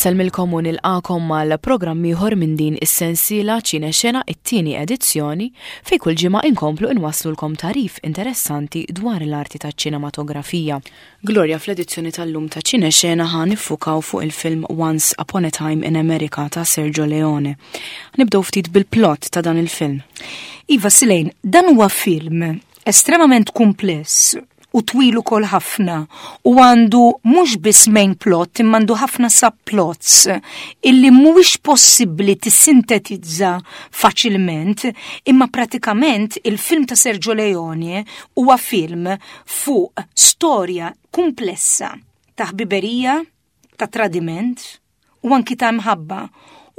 Insellmilkom u nilqakom mal programm ieħor minn din is-sensiela Ċine Xena it-tieni edizzjoni fejn kull ġimgħa inkomplu inwasslulkom tagħrif interessanti dwar l-arti taċ-ċinematografija. Gloria fl-edizzjoni tal-lum ta' Ċine Xena ħa niffukaw fuq il-film Once Upon a Time in America ta' Sergio Leone. Nibdew ftit bil-plot ta' dan il-film. Iva Silejn, dan huwa film estremament kumpless u twil ukoll ħafna u għandu mhux biss main plot imma għandu ħafna subplots illi mhuwiex possibbli tissintetizza faċilment imma pratikament il-film ta' Sergio Leone huwa film fuq storja kumplessa ta' ħbiberija, ta' tradiment u anki ta' mħabba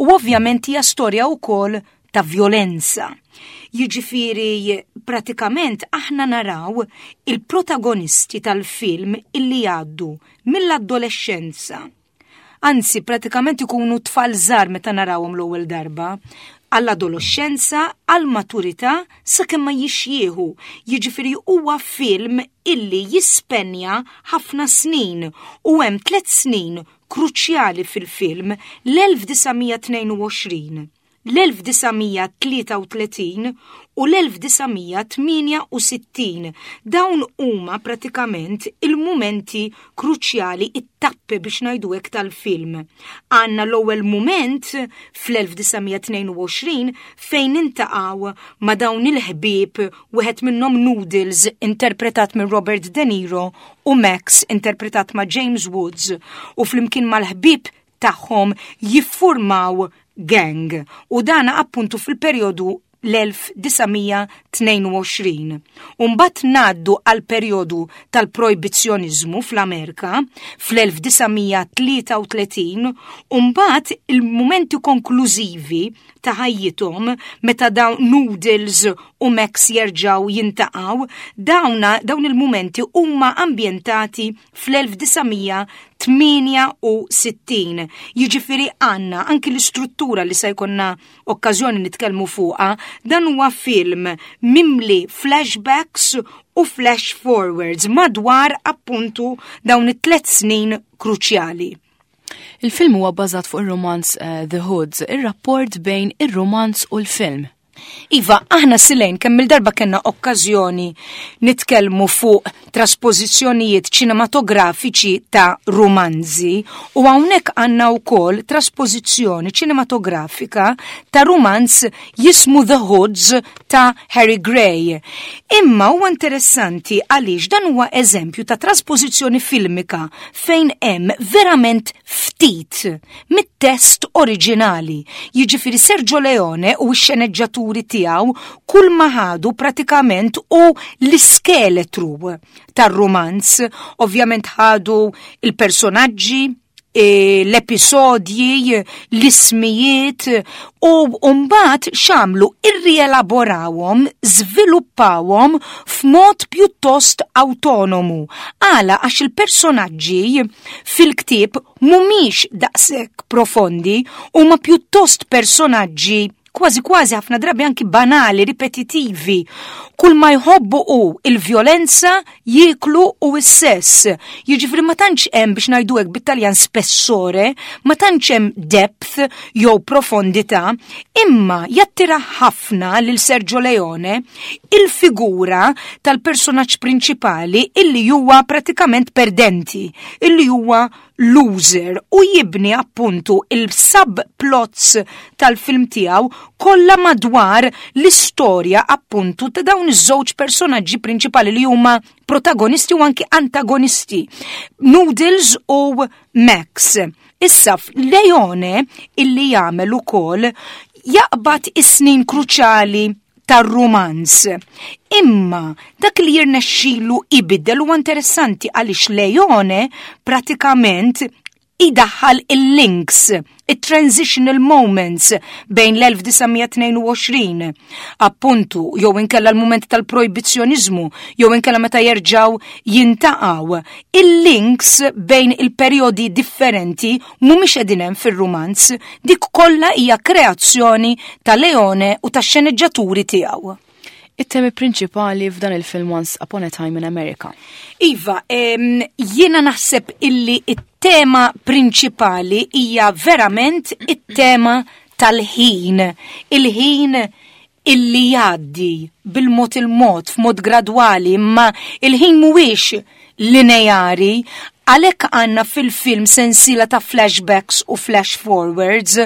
u ovvjament hija storja wkoll ta' vjolenza. Jiġifieri pratikament aħna naraw il-protagonisti tal-film illi jgħaddu mill-adolexxenza. Anzi, pratikament ikunu tfal żgħar meta narawhom l-ewwel darba, għall-adolexxenza, għall-maturità sakemm ma jixjieħu. Jiġifieri huwa film illi jispenja ħafna snin u hemm tliet snin kruċjali fil-film l-1922, l-1933 u l-1968. Dawn huma pratikament il-mumenti kruċjali, it-tappi biex ngħidu hekk tal-film. Għandna l-ewwel mument fl-1922 fejn intaqgħu ma' dawn il-ħbieb wieħed minnhom Noodles interpretat minn Robert De Niro u Max interpretat ma' James Woods u flimkien mal-ħbieb tagħhom jiffurmaw gang u dan appuntu fil-perjodu l-1922. Umbat naddu għal perjodu tal-projbizzjoniżmu fl-Amerika fl-1933 umbat il-mumenti konklużivi ta' ħajjithom meta dawn Noodles u Max jerġgħu jintaqgħu, dawna dawn il-mumenti huma ambjentati fl-1968. Jiġifieri għandna anki l-istruttura li se jkollna okkażjoni nitkellmu fuqha, dan huwa film mimli flashbacks u flash forwards madwar appuntu dawn it-tlet snin kruċjali. Il-film huwa bbażat fuq ir-romanz eh, The Hoods, ir-rapport bejn ir-romanz u l-film. Iva, aħna silejn kemm il-darba kellna okkażjoni nitkellmu fuq traspożizzjonijiet ċinematografiċi ta' rumanzi u hawnhekk għandna wkoll traspożizzjoni ċinematografika ta' rumanz jismu The Hoods ta' Harry Gray. Imma huwa interessanti għaliex dan huwa eżempju ta' traspożizzjoni filmika fejn hemm verament ftit mit-test oriġinali. Jiġifieri Sergio Leone u x-xeneġġaturi tiegħu kull ma ħadu pratikament u l-iskeletru tar-rumanz. Ovvjament ħadu il-personaġġi, e, l-episodji, l-ismijiet u mbagħad x'għamlu irrielaborawhom, żviluppawhom f'mod pjuttost autonomu. Għala għax il-personaġġi fil-ktieb mhumiex daqshekk profondi, huma pjuttost personaġġi kważi kważi ħafna drabi anki banali, ripetitivi. Kull ma jħobbu hu il-vjolenza, jieklu u s-sess. Jiġifieri ma tantx hemm biex ngħidu hekk bit-Taljan spessore, ma tantx hemm depth jew profondità, imma jattira ħafna lil Sergio Leone il-figura tal-personaġġ prinċipali illi huwa pratikament perdenti, illi huwa loser u jibni appuntu il-subplots tal-film tiegħu kollha madwar l-istorja appuntu ta' dawn iż-żewġ personaġġi prinċipali li huma protagonisti u anki antagonisti, Noodles u Max. Issa Leone illi jagħmel ukoll jaqbad is-snin kruċjali tar-rumanz. Imma dak li jirnexxilu ibiddel huwa interessanti għaliex Leone pratikament idaħħal il-links, il-transitional moments bejn l-1922, appuntu, jew inkella l-moment tal-projbizzjonizmu, jew inkella meta jerġaw jintaqaw. Il-links bejn il-perjodi differenti mhumiex qegħdin hemm fir-rumanz, dik kollha hija kreazzjoni ta' Leone u tax-xeneġġaturi tiegħu. It-temi prinċipali f'dan il-film Once Upon a Time in America. Iva, jiena naħseb illi it-tema prinċipali hija verament it-tema tal-ħin. Il-ħin illi jgħaddi bil-mod il-mod, f'mod gradwali, imma il-ħin mhuwiex lineari, għalhekk għandna fil-film sensiela ta' flashbacks u flash forwards.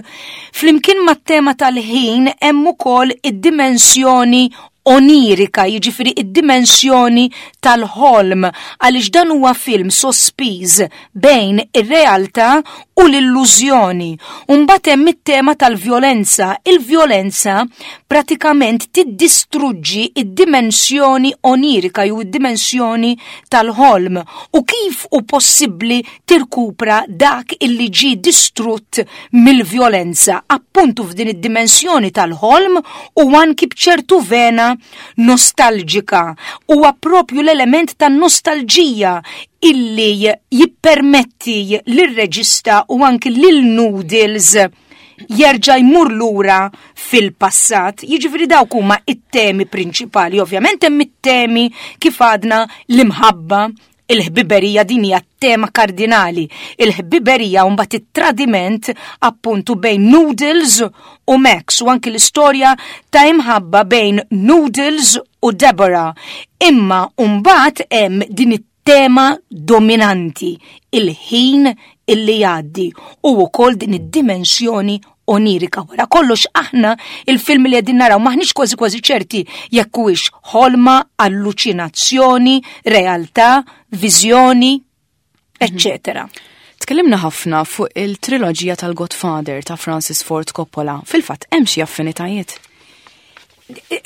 Flimkien mat-tema tal-ħin hemm ukoll id-dimensjoni onirika, jiġifieri id-dimensjoni tal-ħolm, għaliex dan huwa film sospiż bejn ir-realtà u l-illużjoni. U mbagħad hemm it-tema tal-vjolenza. Il-vjolenza pratikament tiddistruġġi id-dimensjoni onirika jew id-dimensjoni tal-ħolm u kif hu possibbli tirkupra dak illi ġie distrutt mill-vjolenza appuntu f'din id-dimensjoni tal-ħolm u anki b'ċertu vena nostalġika. Huwa propju l-element tan-nostalġija illi jippermetti lir-reġista u anki lil Noodles jerġa' jmur lura fil-passat. Jiġifieri dawk huma it-temi prinċipali. Ovvjament hemm it-temi kif għadna l-imħabba, il-ħbiberija din hija tema kardinali. Il-ħbiberija u mbagħad it-tradiment appuntu bejn Noodles u Max u anki l-istorja ta' imħabba bejn Noodles u Deborah. Imma mbagħad hemm din it-tema dominanti, il-ħin illi jgħaddi u wkoll din id-dimensjoni onirika. Wara kollox aħna il-film li qegħdin naraw maħniex kważi kważi ċerti jekk huwiex ħolma, alluċinazzjoni, realtà, viżjoni, eccetera. Tkellimna ħafna fuq il-triloġija tal-Godfather ta' Francis Ford Coppola. Fil-fatt hemm xi affinitajiet.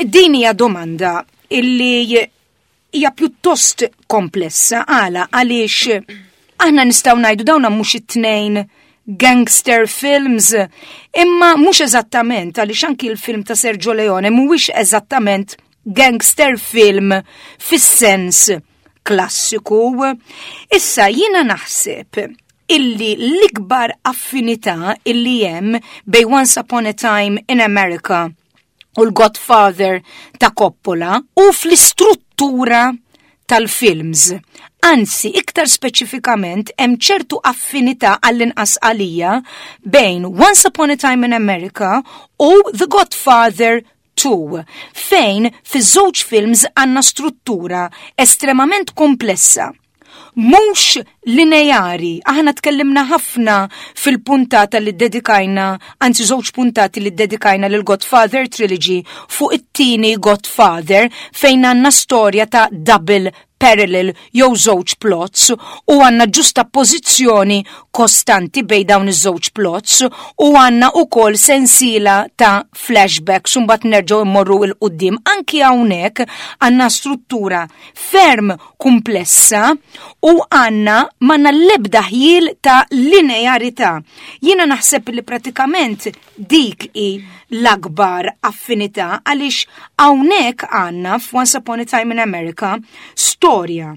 Din hija domanda illi hija pjuttost komplessa għala għaliex aħna nistgħu ngħidu dawn mhux it-tnejn gangster films imma mhux eżattament għaliex anki l-film ta' Sergio Leone mhuwiex eżattament gangster film fis-sens klassiku. Issa jiena naħseb illi l-ikbar affinità illi hemm bej Once Upon a Time in America u l-Godfather ta' Coppola u fl-istruttura tal-films. Anzi, iktar speċifikament hemm ċertu affinità għall-inqas għalija bejn Once Upon a Time in America u The Godfather 2, fejn fiż-żewġ films għandna struttura estremament komplessa mhux lineari. Aħna tkellimna ħafna fil-puntata li dedikajna, anzi żewġ puntati li dedikajna lil Godfather Trilogy fuq it-tieni Godfather fejn għandna storja ta' double parallel jew żewġ plots u għandna ġustappożizzjoni kostanti bej dawn iż-żewġ plots u għandna ukoll sensiela ta' flashbacks u mbagħad nerġgħu immorru 'l quddiem. Anki hawnhekk għandna struttura ferm kumplessa u għandna m'għandna l-ebda ħjiel ta' linearità. Jiena naħseb li pratikament dik hi l-akbar affinità għaliex hawnhekk għandna f'Once Upon a Time in America storja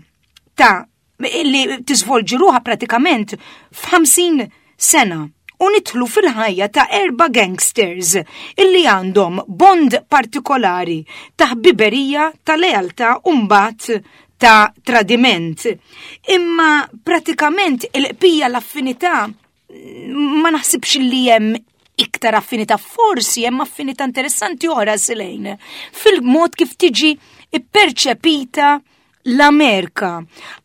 ta' li tiżvolġi ruħha pratikament f'50 sena u nidħlu fil-ħajja ta' erba' gangsters illi għandhom bond partikolari ta' ħbiberija, ta' lealtà u mbagħad ta' tradiment. Imma pratikament il-qpija l-affinità ma naħsibx li hemm iktar affinità, forsi hemm affinità interessanti oħra silejn fil-mod kif tiġi ipperċepita l-Amerika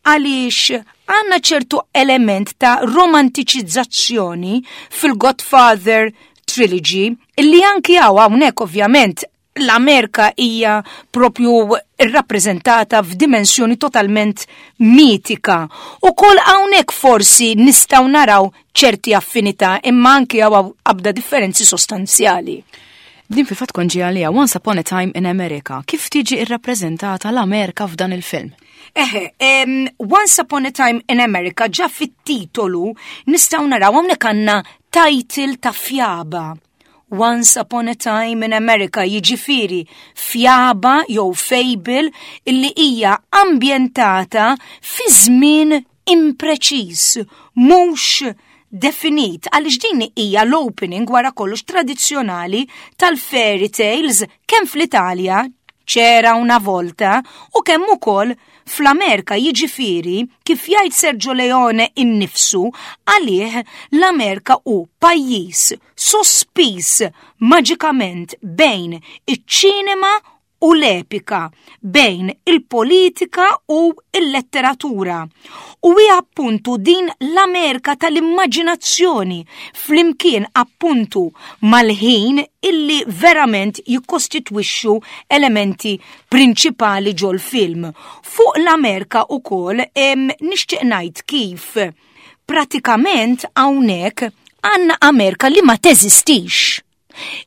għaliex għandna ċertu element ta' romantiċizzazzjoni fil-Godfather Trilogy illi anki hawn hawnhekk ovvjament l-Amerika hija propju rrappreżentata f'dimensjoni totalment mitika. U kol hawnhekk forsi nistgħu naraw ċerti affinità imma anki hawn abda differenzi sostanzjali. Din fil-fatt kont ġej għaliha Once Upon a Time in America. Kif tiġi irrappreżentata l-Amerika f'dan il-film? Eħe, Once Upon a Time in America ġa fit-titolu nistgħu naraw hawnhekk għandna title ta' fjaba. Once Upon a Time in America jiġifieri fjaba jew fable illi hija ambjentata fi żmien impreċiż, mhux definit, għaliex din hija l-opening wara kollox tradizzjonali tal-fairy tales kemm fl-Italja, C'era una volta u kemm ukoll fl-Amerika jiġifieri kif jgħid Sergio Leone innifsu għalih l-Amerika hu pajjiż sospiż maġikament bejn iċ-ċinema u l-epika bejn il-politika u l-letteratura. U hija appuntu din l-Amerika tal-immaġinazzjoni flimkien appuntu mal-ħin illi verament jikkostitwixxu elementi prinċipali ġol-film. Fuq l-Amerika ukoll nixtieq ngħid kif pratikament hawnhekk għandna Amerika li ma teżistix.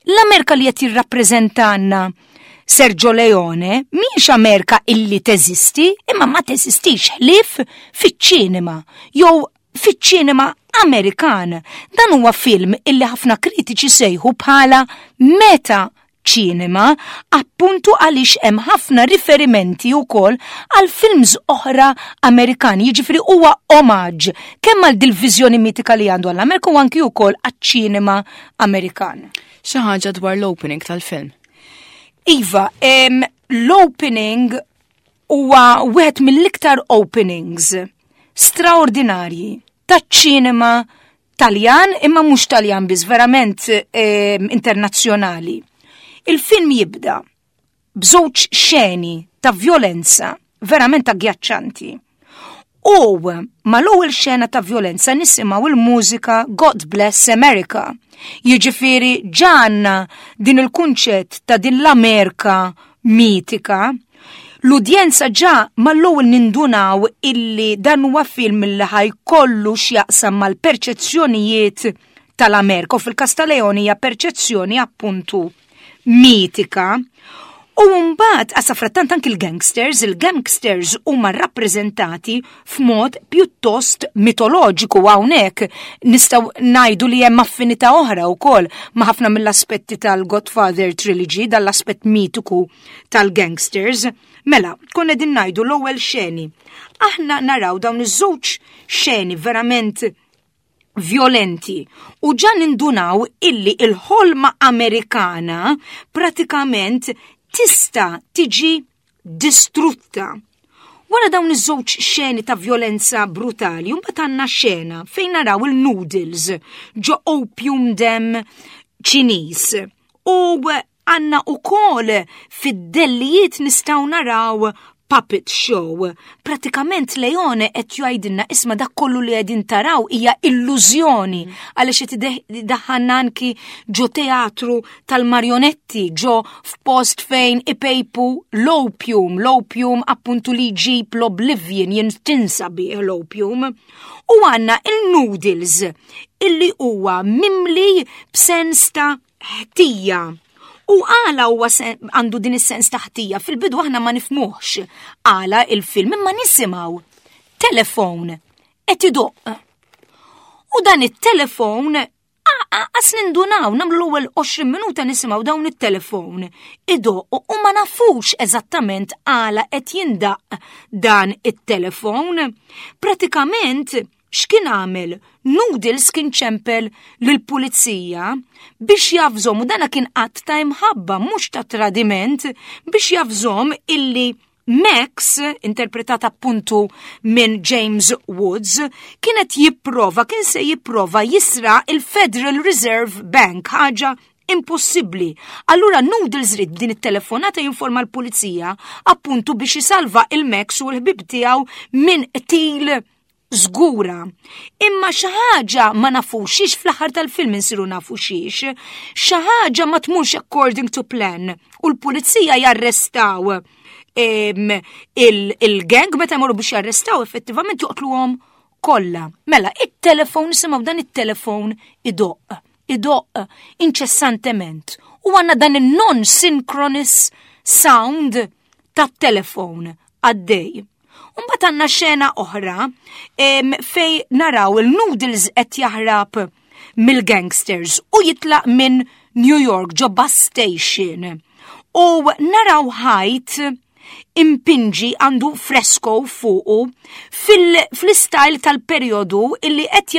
L-Amerika li qed jirrappreżentanna Sergio Leone mhijiex Amerika illi teżisti, imma ma teżistix ħlief fiċ-ċinema jew fiċ-ċinema Amerikan. Dan huwa film illi ħafna kritiċi sejħu bħala meta ċinema appuntu għaliex hemm ħafna riferimenti wkoll għal films oħra Amerikani, jiġifieri huwa omaġġ kemm għal dil-viżjoni mitika li għandu għall-Amerika u anki wkoll għaċ-ċinema Amerikan. Xi ħaġa dwar l-opening tal-film. Iva, l-opening huwa wieħed mill-iktar openings straordinarji taċ-ċinema Taljan imma mhux Taljan biss, verament internazzjonali. Il-film jibda b'żewġ xeni ta' vjolenza verament aggjaċċanti. U mal-ewwel xena ta' vjolenza nisimgħu il-mużika God Bless America. Jiġifieri ġanna din il-kunċett ta' din l-Amerika mitika. L-udjenza ġa mal-ewwel nindunaw illi dan huwa film li ħajkollu x'jaqsam mal-perċezzjonijiet tal-Amerika u fil-każ ta' Leone hija perċezzjoni appuntu mitika. U mbagħad għasa frattant anki l-gangsters, il-gangsters huma rappreżentati f'mod pjuttost mitoloġiku hawnhekk nistgħu ngħidu li hemm affinità oħra wkoll ma' ħafna mill-aspetti tal-Godfather Trilogy, dal-aspett mitiku tal-gangsters. Mela, konna din ngħidu l-ewwel xeni. Aħna naraw dawn iż-żewġ xeni verament violenti u ġa nindunaw illi il-ħolma Amerikana pratikament tista' tiġi distrutta. Wara dawn iż-żewġ xeni ta' violenza brutali, mbagħad għandna xena fejn naraw il-noodles ġo opium dem Ċiniż. U Għanna u kol fid-dellijiet nistaw naraw puppet show. Pratikament Leone qed jgħidilna isma' dak kollu li qegħdin taraw hija illużjoni għaliex qed idaħħalna anki ġo teatru tal-marjonetti, ġo f'post fejn ipejpu l-opium, l-opium appuntu li jġib l-oblivion, jintinsa bih l-opium. U għandna il-noodles illi huwa mimli b'sens ta' ħtija. U għala huwa għandu din is-sens ta' ħtija fil-bidu aħna ma nifmuhx għala il-film imma nisimgħu telefon qed idoqq. U dan it-telefon għas nindunaw nagħmlu l-ewwel 20 minuta nisimgħu dawn it-telefon idoq u ma nafux eżattament għala qed jindaq dan it-telefon. Pratikament X'kien għamel? Noodles kien ċempel lill-pulizija biex javżhom u dana kien att ta' imħabba mhux ta' tradiment biex javżhom illi Max, interpretat appuntu minn James Woods, kienet jipprova, kien se jipprova jisra il-Federal Reserve Bank, ħaġa impossibbli. Allura Noodles ried b'din it-telefonata jinforma l-pulizija appuntu biex isalva il-Max u l-ħbib tiegħu minn qtil żgura. Imma xi ħaġa ma nafux xiex fl-aħħar tal-film insiru nafu xiex, xi ħaġa ma tmurx according to plan u l-pulizija jarrestaw il-gang meta jmorru biex jarrestaw effettivament joqtluhom kollha. Mela, it-telefon nisimgħu dan it-telefon idoqq, idoqq inċessantement u għandna dan il-non-synchronous sound tat-telefon għaddej. Mbagħad għandna xena oħra fej naraw il-Noodles qed jaħrab mill-gangsters u jitlaq minn New York ġo bus station. U naraw ħajt impinġi għandu fresko fuqu fil-style tal-periodu illi qed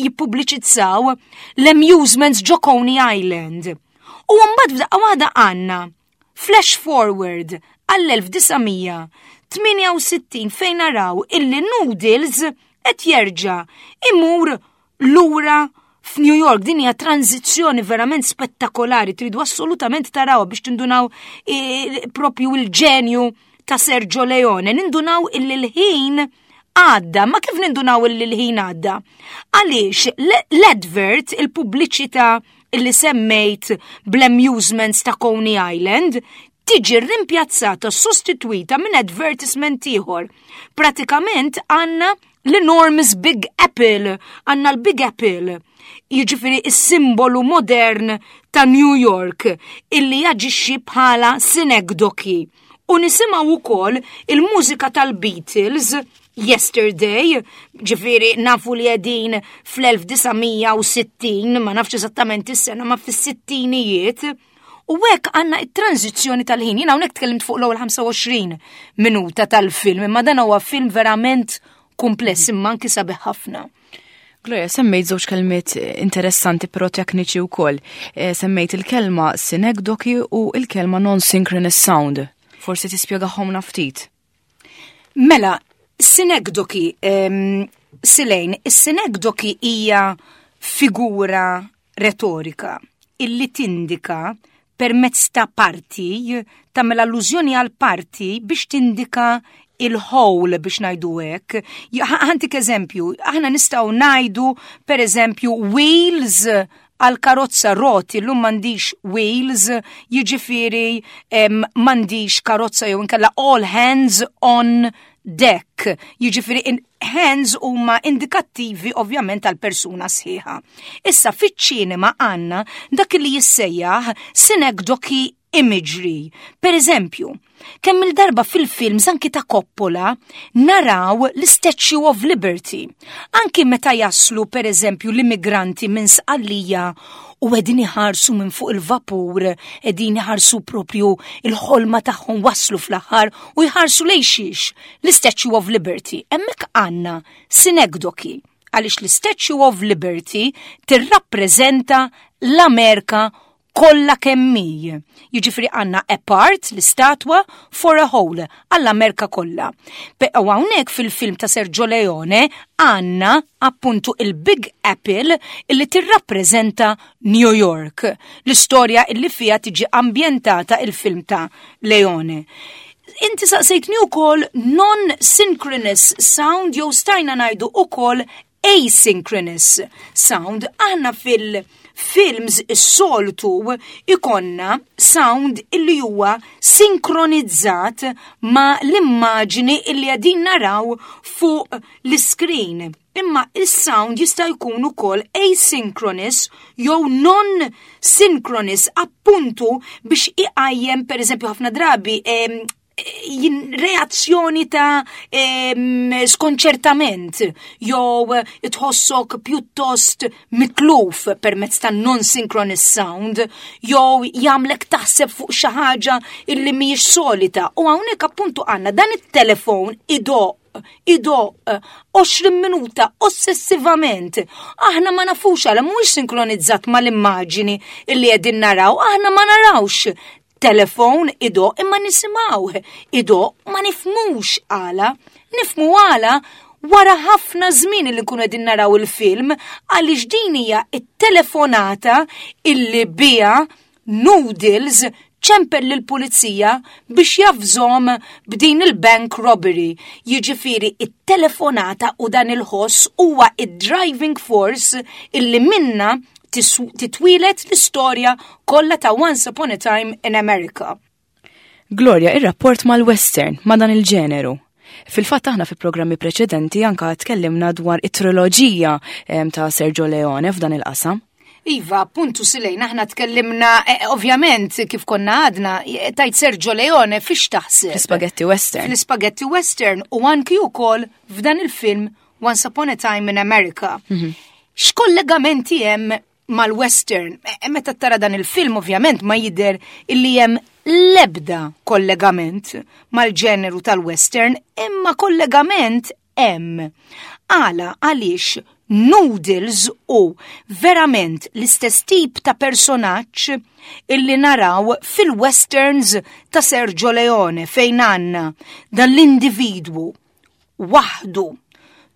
jippubbliċizzaw l-amusements ġo Coney Island. U mbagħad f'daqqa waħda għandna. Flash forward għall-1968 fejn naraw illi Noodles qed jerġa' imur lura f'New York. Din hija tranzizzjoni verament spettakolari, tridu assolutament tarawha biex tindunaw propju il-ġenju ta' Sergio Leone. Nindunaw illi l-ħin għadda, ma kif nindunaw illi l-ħin għadda? Għaliex l-advert, il-pubbliċità illi semmejt bl-amusements ta' Coney Island, tiġi rimpjazzata, sostitwita minn advertisement ieħor. Pratikament għandna l-enormous Big Apple, għandna l-Big Apple, jiġifieri is-simbolu modern ta' New York illi jaġixxi bħala synecdoche. U nisimgħu wkoll il-mużika tal-Beatles Yesterday, ġifieri nafu li qegħdin fl-1960, ma nafx eżattament is-sena, ma fis-sittinijiet. U hekk għandna it-tranzizzjoni tal-ħin. Jiena hawnhekk tkellimt fuq l-ewwel 25 minuta tal-film, imma dan huwa film verament kumpless imma anki sabiħ ħafna. Gloria, semmejt żewġ kelmiet interessanti però tekniċi wkoll. Semmejt il-kelma synecdoche u il-kelma non-synchronous sound. Forsi tispjegahom ftit. Mela, synecdoche, Silejn, is-synecdoche hija figura retorika illi tindika permezz ta' parti, tagħmel allużjoni għal parti biex tindika il-whole biex ngħidu hekk. Ħa ntik eżempju, aħna nistgħu ngħidu per eżempju wheels għal karozza roti, llum m'għandix wheels, jiġifieri m'għandix karozza jew inkella all hands on deck. Jiġifieri hands huma indikattivi ovvjament għal persuna sħiħa. Issa fiċ-ċinema għandna dak li jissejjaħ synecdoche imagery. Per eżempju, kemm il-darba fil-films anki ta' Coppola naraw l-Statue of Liberty. Anki meta jaslu per eżempju l-immigranti minn Sqallija u qegħdin iħarsu minn fuq il-vapur, qegħdin iħarsu propju il-ħolma tagħhom waslu fl-aħħar u jħarsu lejn xiex l-Statue of Liberty. Hemmhekk għandna synecdoche għaliex l-Statue of Liberty tirrappreżenta l-Amerika kollha kemm hi. Jiġifieri għandna a part l-istatwa for a whole għall-Amerika kollha. U hawnhekk fil-film ta' Sergio Leone għandna appuntu il-Big Apple illi tirrappreżenta New York. L-istorja illi fija tiġi ambjentata il-film ta' Leone. Inti saqsejtni wkoll non-synchronous sound jew stajna ngħidu ukoll asynchronous sound. Aħna fil-films is-soltu ikonna sound illi huwa sinkronizzat ma l-immaġini illi qegħdin naraw fuq l-screen. Imma il-sound jista' jkun ukoll asynchronous jew non-synchronous appuntu biex iqajjem per eżempju ħafna drabi reazzjoni ta' skonċertament jew tħossok pjuttost mitluf permezz ta' non-synchronous sound jew jagħmlek taħseb fuq xi ħaġa illi mhijiex solita. U hawnhekk appuntu għandna dan it-telefon idoqq idoqq 20 minuta ossessivament. Aħna ma nafux għala mhuwiex sinkronizzat mal-immaġini illi qegħdin naraw, aħna ma narawx telefon idoqq imma nisimgħuh idoqq ma nifhmux għala. Nifhmu għala wara ħafna żmien li nkunu qegħdin naraw il-film għaliex din hija it-telefonata illi biha Noodles ċempel lill-pulizija biex javżahom b'din il-bank robbery. Jiġifieri it-telefonata u dan il-ħoss huwa id-driving force illi minna titwieled l-istorja kollha ta' Once Upon a Time in America. Gloria, ir-rapport mal-western, ma' dan il-ġeneru. Fil-fatt aħna fi programmi preċedenti anka tkellimna dwar it-triloġija ta' Sergio Leone f'dan il-qasam. Iva, appuntu Silejn, aħna tkellimna, ovvjament, kif konna għadna, tajt Sergio Leone fiex taħseb? Fl-Spaghetti Western. Fl-Spaghetti Western u anki wkoll f'dan il-film Once Upon a Time in America. X'kollegamenti hemm mal-Western? Meta tara dan il-film, ovvjament, ma jidher illi hemm lebda kollegament mal-ġeneru tal-Western, imma kollegament hemm. Għala, għaliex Noodles huwa l-ewwel darba Noodles hu verament l-istess tip ta' personaġġ illi naraw fil-westerns ta' Sergio Leone fejn għandna dan l-individwu waħdu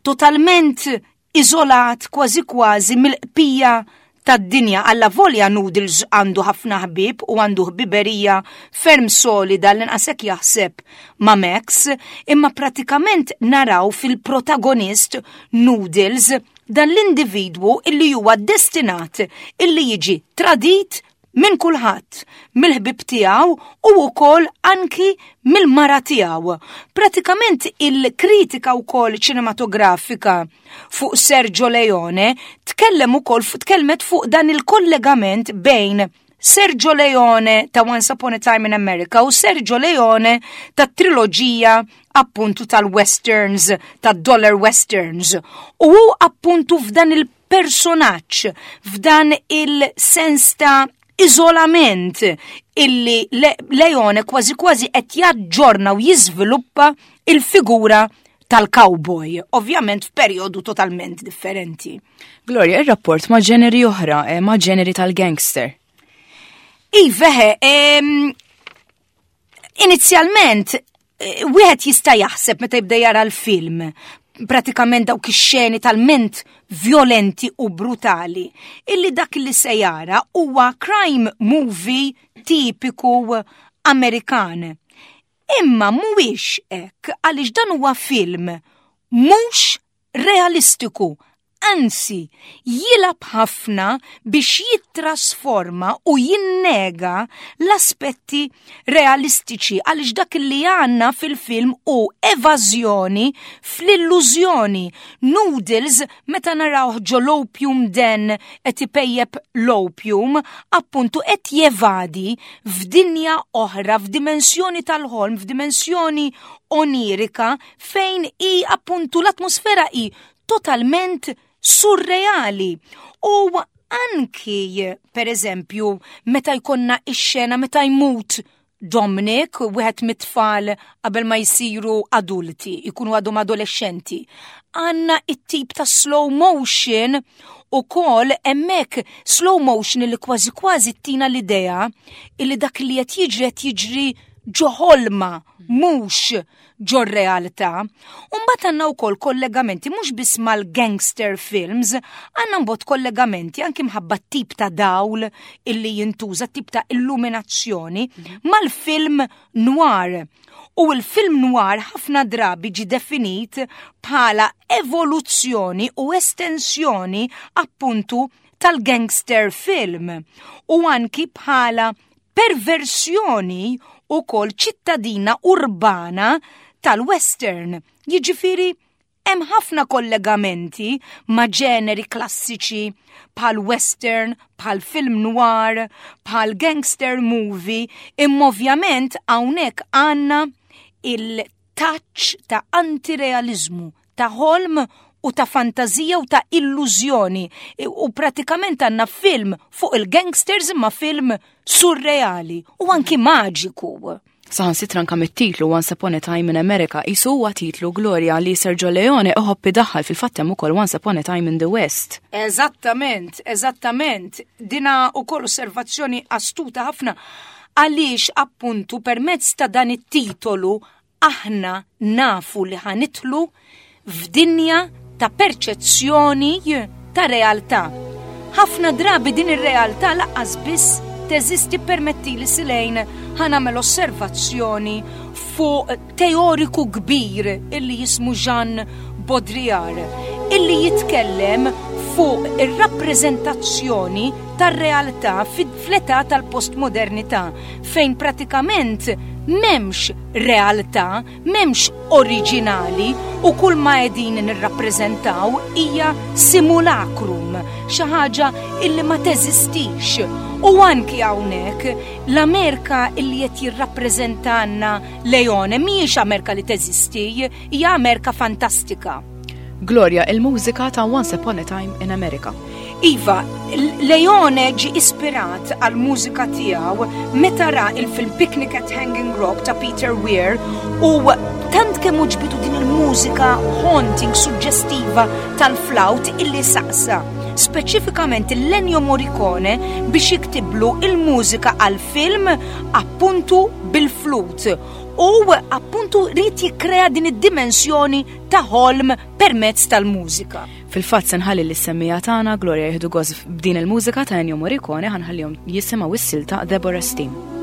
totalment iżolat kważi kważi mill-qpija tad-dinja allavolja Noodles għandu ħafna ħbieb u għandu ħbiberija ferm solida l-inqas hekk jaħseb ma' Max, imma pratikament naraw fil-protagonist Noodles dan l-individwu illi huwa destinat illi jiġi tradit minn kulħadd, mill-ħbieb tiegħu u wkoll anki mill-mara tiegħu. Pratikament il-kritika wkoll ċinematografika fuq Sergio Leone tkellem ukoll tkellmet fuq dan il-kollegament bejn Sergio Leone ta' Once Upon a Time in America u Sergio Leone ta' triloġija appuntu tal-westerns, ta' dollar westerns. U appuntu f'dan il personaġġ f'dan il-sens ta' iżolament illi Leone kważi kważi qed jaġġorna u jiżviluppa il-figura tal-cowboy, ovvjament f'perjodu totalment differenti. Gloria, ir-rapport ma' ġeneri oħra, eh, ma' ġeneri tal-gangster. Iva, inizjalment eh, wieħed jista' jaħseb meta jibda jara l-film pratikament dawk ix-xeni talment violenti u brutali illi dak li se jara huwa crime movie tipiku Amerikan. Imma mhuwiex hekk għaliex dan huwa film mhux realistiku, anzi jilgħab ħafna biex jittrasforma u jinnega l-aspetti realistiċi għaliex dak li għandna fil-film hu evażjoni fl-illużjoni. Noodles meta narawh ġo l-opium den qed ipejjep l-opium, appuntu qed jevadi f'dinja oħra, f'dimensjoni tal-ħolm, f'dimensjoni onirika fejn hi appuntu l-atmosfera hi totalment surreali. U anki, per eżempju, meta jkollna ix-xena meta jmut Dominic, wieħed mit-tfal qabel ma jsiru adulti, ikunu għadhom adolescenti. Għanna it-tip ta' slow motion u kol emmek slow motion li kważi kważi tina l-idea illi dak li qed jiġri qed jiġri ġo ħolma mhux ġor-realtà. U mbagħad għandna wkoll kollegamenti mhux biss mal-gangster films, għandna mbagħad kollegamenti anki mħabba tip ta' dawl illi jintuża, tip ta' illuminazzjoni mhm. mal-film noir. U l-film noir ħafna drabi ġi definit bħala evoluzzjoni u estensjoni appuntu tal-gangster film u anki bħala perversjoni ukoll ċittadina urbana tal-western. Jiġifieri hemm ħafna kollegamenti ma' ġeneri klassiċi bħal western, bħal film noir, bħal gangster movie, imma ovvjament hawnhekk għandna il-touch ta' antirealizmu, ta' ħolm u ta' fantażija u ta' illużjoni. U pratikament għandna film fuq il-gangsters imma film surreali u anki maġiku. Saħansitra anka mit-titlu Once Upon a Time in America qisu huwa titlu Gloria li Sergio Leone iħobb idaħħal fil-fatt hemm ukoll Once Upon a Time in the West. Eżattament, eżattament. Dina ukoll osservazzjoni astuta ħafna għaliex appuntu permezz ta' dan it-titolu Aħna nafu li ħa nidħlu f'dinja ta' perċezzjoni ta' realtà. Ħafna drabi din ir-realtà laqqas biss teżisti permettili Silejn ħa nagħmel osservazzjoni fuq teoriku kbir illi jismu Jean Baudrillard illi jitkellem fuq ir-rappreżentazzjoni tar-realtà fl-età tal-postmodernità fejn pratikament m'hemmx realtà, m'hemmx oriġinali u kull ma qegħdin nirrappreżentaw hija simulacrum, xi ħaġa illi ma teżistix. U anki hawnhekk l-Amerika illi qed jirrappreżentanna Leone mhijiex Amerika li teżisti, hija Amerika fantastika. Gloria, il-mużika ta' Once Upon a Time in America. Iva, Leone ġie ispirat għall-mużika tiegħu meta ra il-film Picnic at Hanging Rock ta' Peter Weir u tant kemm għoġbitu din il-mużika haunting, suġġestiva tal-flawt illi saqsa speċifikament il-Ennio Morricone biex jiktiblu il-mużika għal-film appuntu bil-flut u appuntu ried jikkrea din id-dimensjoni ta' ħolm permezz tal-mużika. Fil-fatt se nħalli lis-semmiegħa tagħna Gloria jieħdu gost b'din il-mużika ta' Ennio Morricone ħa nħallihom jisimgħu s-silta Deborah's Theme.